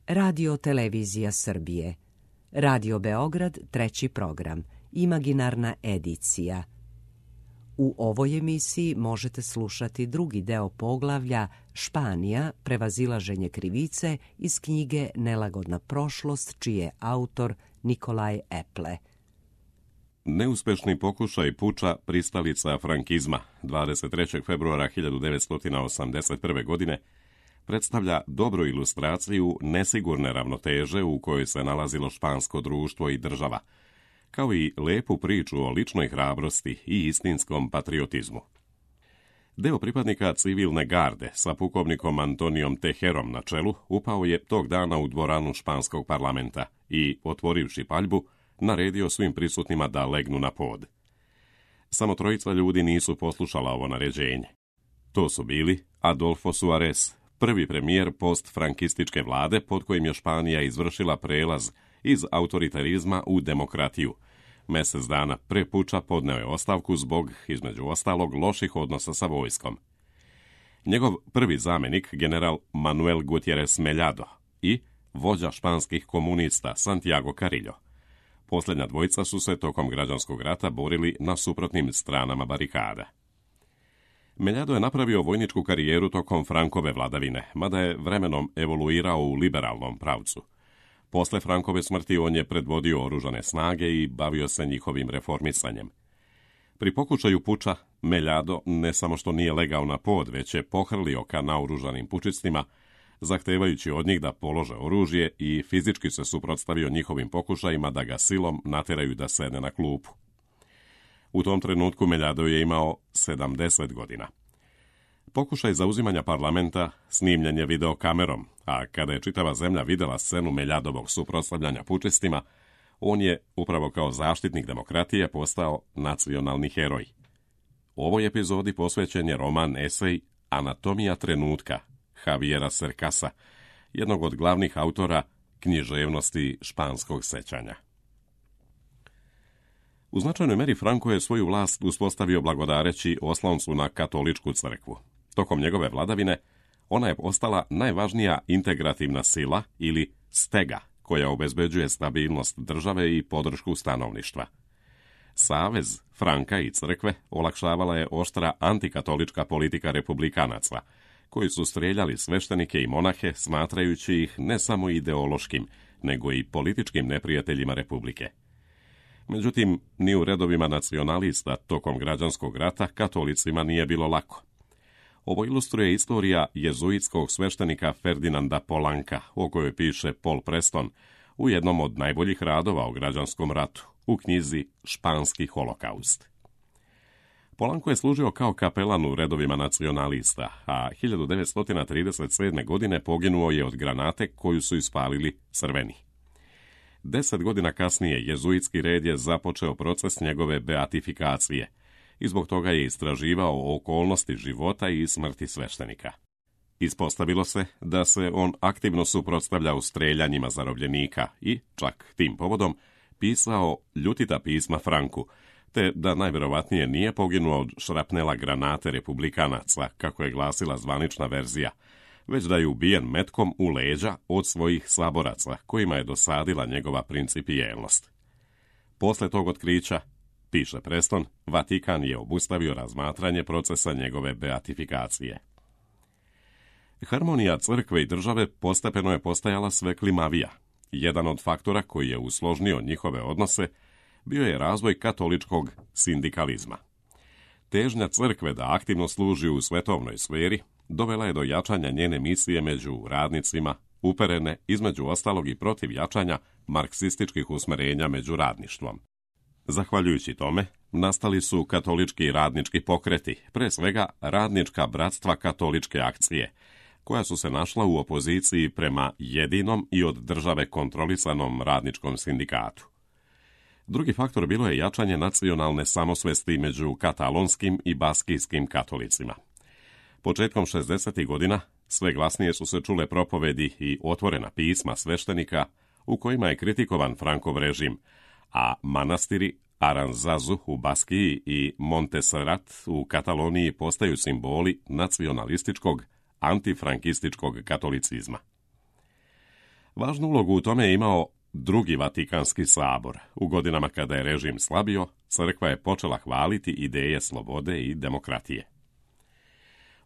Radio Televizija Srbije, Radio Beograd, 3. program, imaginarna edicija. U ovoj emisiji možete slušati drugi deo poglavlja Španija, prevazilaženje krivice iz knjige Nelagodna prošlost, čiji je autor Nikolaj Eple. Neuspešni pokušaj puča pristalica frankizma 23. februara 1981. godine predstavlja dobru ilustraciju nesigurne ravnoteže u kojoj se nalazilo špansko društvo i država, kao i lepu priču o ličnoj hrabrosti i istinskom patriotizmu. Deo pripadnika civilne garde sa pukovnikom Antonijom Tejerom na čelu upao je tog dana u dvoranu španskog parlamenta i, otvorivši paljbu, naredio svim prisutnima da legnu na pod. Samo trojica ljudi nisu poslušala ovo naređenje. To su bili Adolfo Suarez, prvi premijer postfrankističke vlade pod kojim je Španija izvršila prelaz iz autoritarizma u demokratiju. Mesec dana pre puča podneo je ostavku zbog, između ostalog, loših odnosa sa vojskom. Njegov prvi zamenik, general Manuel Gutiérrez Mellado i vođa španskih komunista Santiago Carrillo. Posljednja dvojica su se tokom građanskog rata borili na suprotnim stranama barikada. Mellado je napravio vojničku karijeru tokom Frankove vladavine, mada je vremenom evoluirao u liberalnom pravcu. Posle Frankove smrti on je predvodio oružane snage i bavio se njihovim reformisanjem. Pri pokušaju puča, Mellado ne samo što nije legao na pod, već je pohrlio ka naoružanim pučistima, zahtevajući od njih da polože oružje i fizički se suprotstavio njihovim pokušajima da ga silom nateraju da sedne na klupu. U tom trenutku Mellado je imao 70 godina. Pokušaj zauzimanja parlamenta snimljen je videokamerom, a kada je čitava zemlja videla scenu Melladovog suprotstavljanja pučistima, on je, upravo kao zaštitnik demokratije, postao nacionalni heroj. U ovoj epizodi posvećen je roman esej Anatomija trenutka Javiera Cercasa, jednog od glavnih autora književnosti španskog sećanja. U značajnoj meri Franco je svoju vlast uspostavio blagodareći osloncu na katoličku crkvu. Tokom njegove vladavine ona je postala najvažnija integrativna sila ili stega koja obezbeđuje stabilnost države i podršku stanovništva. Savez Franka i crkve olakšavala je oštra antikatolička politika republikanaca, koji su streljali sveštenike i monahe smatrajući ih ne samo ideološkim, nego i političkim neprijateljima republike. Međutim, ni u redovima nacionalista tokom građanskog rata katolicima nije bilo lako. Ovo ilustruje istorija jezuitskog sveštenika Ferdinanda Polanka, o kojoj piše Paul Preston u jednom od najboljih radova o građanskom ratu, u knjizi Španski holokaust. Polanko je služio kao kapelan u redovima nacionalista, a 1937. godine poginuo je od granate koju su ispalili crveni. 10 godina kasnije jezuitski red je započeo proces njegove beatifikacije i zbog toga je istraživao okolnosti života i smrti sveštenika. Ispostavilo se da se on aktivno suprotstavljao streljanjima zarobljenika i, čak tim povodom, pisao ljutita pisma Franku, te da najvjerovatnije nije poginuo od šrapnela granate republikanaca, kako je glasila zvanična verzija, već da je ubijen metkom u leđa od svojih saboraca, kojima je dosadila njegova principijelnost. Posle tog otkrića, piše Preston, Vatikan je obustavio razmatranje procesa njegove beatifikacije. Harmonija crkve i države postepeno je postajala sve klimavija. Jedan od faktora koji je usložnio njihove odnose bio je razvoj katoličkog sindikalizma. Težnja crkve da aktivno služi u svetovnoj sferi dovela je do jačanja njene misije među radnicima, uperene između ostalog i protiv jačanja marksističkih usmerenja među radništvom. Zahvaljujući tome, nastali su katolički radnički pokreti, pre svega radnička bratstva katoličke akcije, koja su se našla u opoziciji prema jedinom i od države kontrolisanom radničkom sindikatu. Drugi faktor bilo je jačanje nacionalne samosvesti među katalonskim i baskijskim katolicima. Početkom 60. godina sve glasnije su se čule propovedi i otvorena pisma sveštenika u kojima je kritikovan Frankov režim, a manastiri Aranzazu u Baskiji i Montserrat u Kataloniji postaju simboli nacionalističkog, antifrankističkog katolicizma. Važnu ulogu u tome je imao Drugi Vatikanski sabor. U godinama kada je režim slabio, crkva je počela hvaliti ideje slobode i demokratije.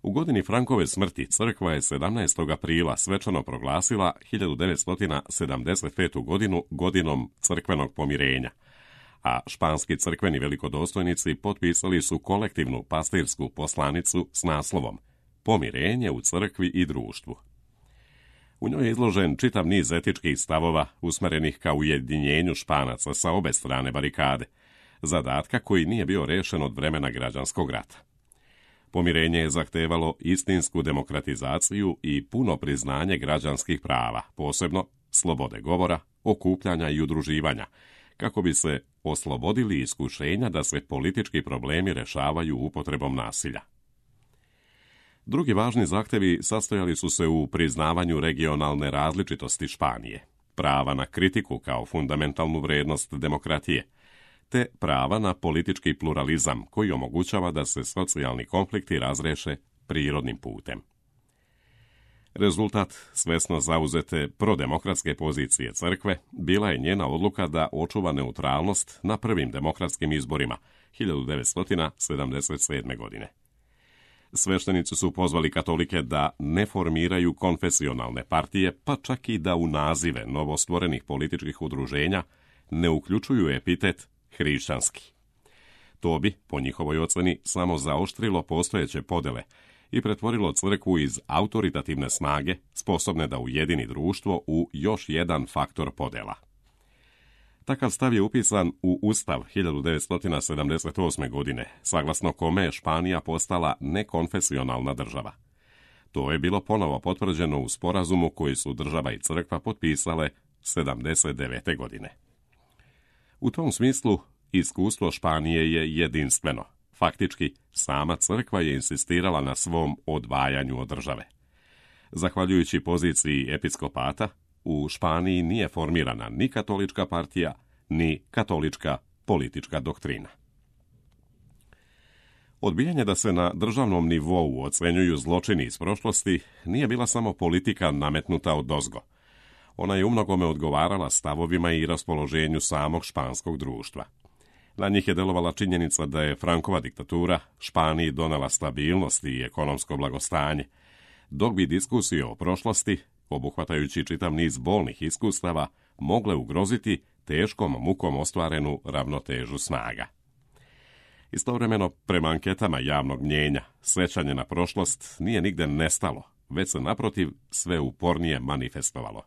U godini Frankove smrti crkva je 17. aprila svečano proglasila 1975. godinu godinom crkvenog pomirenja, a španski crkveni velikodostojnici potpisali su kolektivnu pastirsku poslanicu s naslovom Pomirenje u crkvi i društvu. U njoj je izložen čitav niz etičkih stavova usmerenih ka ujedinjenju Španaca sa obe strane barikade, zadatka koji nije bio rešen od vremena građanskog rata. Pomirenje je zahtevalo istinsku demokratizaciju i puno priznanje građanskih prava, posebno slobode govora, okupljanja i udruživanja, kako bi se oslobodili iskušenja da se politički problemi rešavaju upotrebom nasilja. Drugi važni zahtevi sastojali su se u priznavanju regionalne različitosti Španije, prava na kritiku kao fundamentalnu vrednost demokratije, te prava na politički pluralizam koji omogućava da se socijalni konflikti razreše prirodnim putem. Rezultat svesno zauzete prodemokratske pozicije crkve bila je njena odluka da očuva neutralnost na prvim demokratskim izborima 1977. godine. Sveštenici su pozvali katolike da ne formiraju konfesionalne partije, pa čak i da u nazive novostvorenih političkih udruženja ne uključuju epitet hrišćanski. To bi, po njihovoj oceni, samo zaoštrilo postojeće podele i pretvorilo crkvu iz autoritativne snage, sposobne da ujedini društvo, u još jedan faktor podela. Takav stav je upisan u Ustav 1978. godine, saglasno kome je Španija postala nekonfesionalna država. To je bilo ponovo potvrđeno u sporazumu koji su država i crkva potpisale 1979. godine. U tom smislu, iskustvo Španije je jedinstveno. Faktički, sama crkva je insistirala na svom odvajanju od države. Zahvaljujući poziciji episkopata, u Španiji nije formirana ni katolička partija, ni katolička politička doktrina. Odbijanje da se na državnom nivou ocenjuju zločini iz prošlosti nije bila samo politika nametnuta odozgo. Ona je umnogome odgovarala stavovima i raspoloženju samog španskog društva. Na njih je delovala činjenica da je Frankova diktatura Španiji donela stabilnost i ekonomsko blagostanje, dok bi diskusije o prošlosti, obuhvatajući čitav niz bolnih iskustava, mogle ugroziti teškom mukom ostvarenu ravnotežu snaga. Istovremeno, prema anketama javnog mnjenja, sećanje na prošlost nije nigde nestalo, već se naprotiv sve upornije manifestovalo.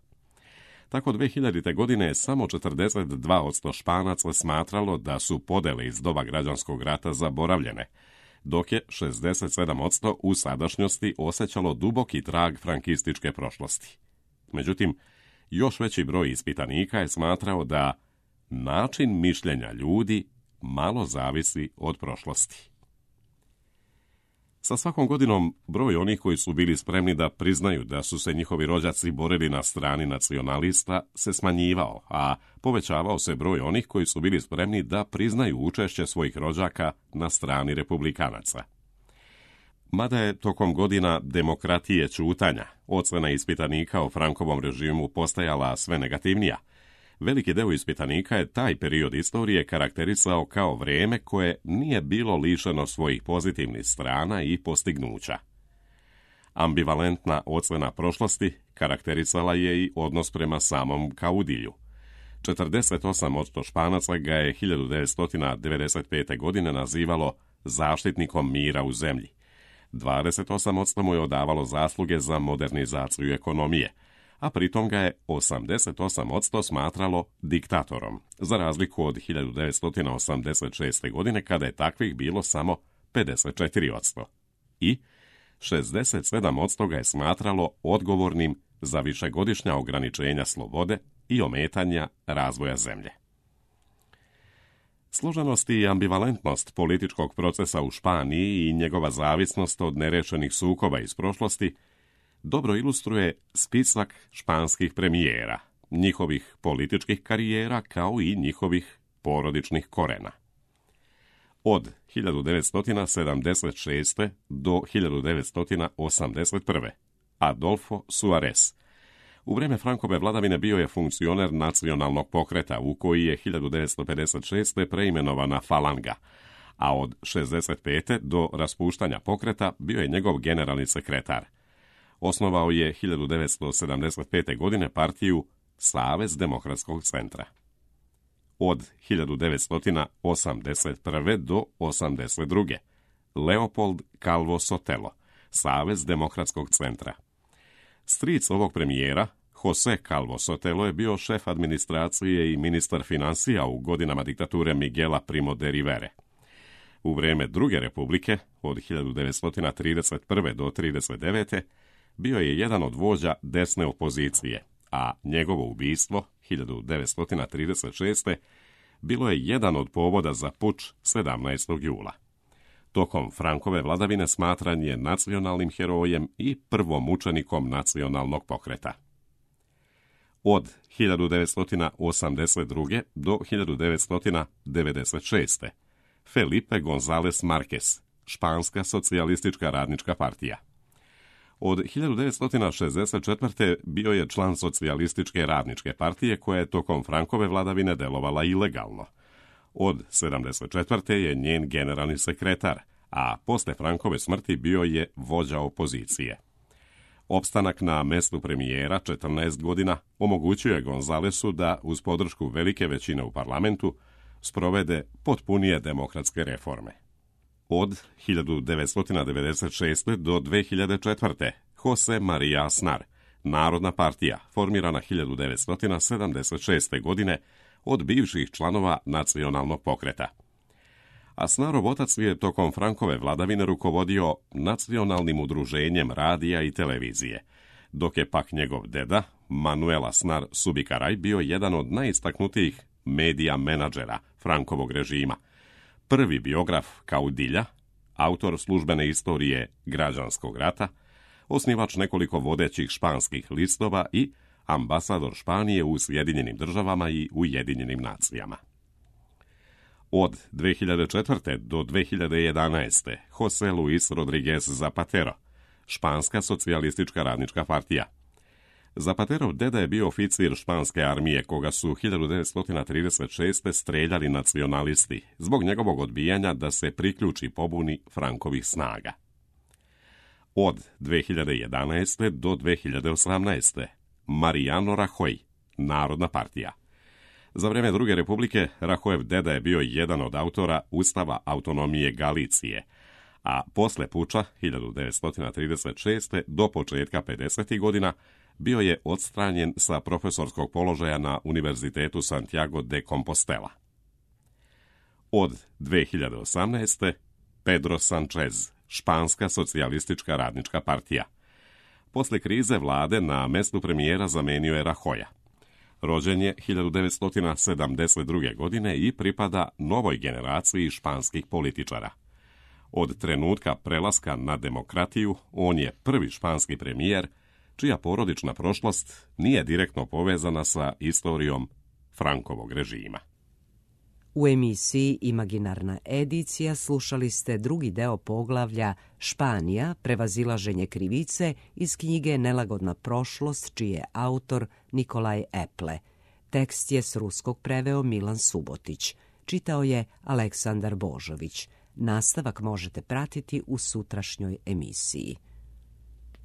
Tako 2000. godine je samo 42% Španaca smatralo da su podele iz doba građanskog rata zaboravljene, dok je 67% u sadašnjosti osjećalo duboki trag frankističke prošlosti. Međutim, još veći broj ispitanika je smatrao da način mišljenja ljudi malo zavisi od prošlosti. Sa svakom godinom broj onih koji su bili spremni da priznaju da su se njihovi rođaci borili na strani nacionalista se smanjivao, a povećavao se broj onih koji su bili spremni da priznaju učešće svojih rođaka na strani republikanaca. Mada je tokom godina demokratije ćutanja ocena ispitanika o Frankovom režimu postajala sve negativnija, veliki deo ispitanika je taj period istorije karakterisao kao vrijeme koje nije bilo lišeno svojih pozitivnih strana i postignuća. Ambivalentna ocena prošlosti karakterisala je i odnos prema samom Kaudilju. 48% Španaca ga je 1995. godine nazivalo zaštitnikom mira u zemlji. 28% mu je odavalo zasluge za modernizaciju ekonomije, a pritom ga je 88% smatralo diktatorom, za razliku od 1986. godine kada je takvih bilo samo 54%. I 67% ga je smatralo odgovornim za višegodišnja ograničenja slobode i ometanja razvoja zemlje. Složenost i ambivalentnost političkog procesa u Španiji i njegova zavisnost od nerešenih sukoba iz prošlosti dobro ilustruje spisak španskih premijera, njihovih političkih karijera kao i njihovih porodičnih korena. Od 1976. do 1981. Adolfo Suárez. U vrijeme Frankove vladavine bio je funkcioner nacionalnog pokreta u koji je 1956. preimenovana Falanga, a od 65. do raspuštanja pokreta bio je njegov generalni sekretar. Osnovao je 1975. godine partiju Savez demokratskog centra. Od 1981. do 82. Leopold Calvo Sotelo, Savez demokratskog centra. Stric ovog premijera, Jose Calvo Sotelo, je bio šef administracije i ministar financija u godinama diktature Miguela Primo de Rivere. U vrijeme Druge republike, od 1931. do 1939. bio je jedan od vođa desne opozicije, a njegovo ubistvo, 1936. bilo je jedan od povoda za puč 17. jula. Tokom Frankove vladavine smatran je nacionalnim herojem i prvom mučenikom nacionalnog pokreta. Od 1982. do 1996. Felipe González Márquez, Španska socijalistička radnička partija. Od 1964. bio je član socijalističke radničke partije koja je tokom Frankove vladavine delovala ilegalno. Od 1974. je njen generalni sekretar, a posle Frankove smrti bio je vođa opozicije. Opstanak na mestu premijera 14 godina omogućio je Gonzalesu da, uz podršku velike većine u parlamentu, sprovede potpunije demokratske reforme. Od 1996. do 2004. Jose María Aznar, Narodna partija, formirana 1976. godine od bivših članova nacionalnog pokreta. Aznarov otac je tokom Frankove vladavine rukovodio nacionalnim udruženjem radija i televizije, dok je pak njegov deda, Manuel Aznar Subikaray, bio jedan od najistaknutijih medija menadžera Frankovog režima, prvi biograf Kaudilja, autor službene istorije građanskog rata, osnivač nekoliko vodećih španskih listova i ambasador Španije u Sjedinjenim državama i Ujedinjenim nacijama. Od 2004. do 2011. José Luis Rodríguez Zapatero, Španska socijalistička radnička partija. Zapaterov deda je bio oficir španske armije, koga su 1936. streljali nacionalisti zbog njegovog odbijanja da se priključi pobuni Frankovih snaga. Od 2011. do 2018. Mariano Rajoy, Narodna partija. Za vrijeme Druge republike Rajoyev deda je bio jedan od autora Ustava autonomije Galicije, a posle puča 1936. do početka 50. godina bio je odstranjen sa profesorskog položaja na Univerzitetu Santiago de Compostela. Od 2018. Pedro Sánchez, Španska socijalistička radnička partija. Posle krize vlade na mestu premijera zamenio je Rajoya. Rođen je 1972. godine i pripada novoj generaciji španskih političara. Od trenutka prelaska na demokratiju, on je prvi španski premijer čija porodična prošlost nije direktno povezana sa istorijom Frankovog režima. U emisiji Imaginarna edicija slušali ste drugi deo poglavlja Španija, prevazilaženje krivice iz knjige Nelagodna prošlost, čiji je autor Nikolaj Eple. Tekst je s ruskog preveo Milan Subotić. Čitao je Aleksandar Božović. Nastavak možete pratiti u sutrašnjoj emisiji.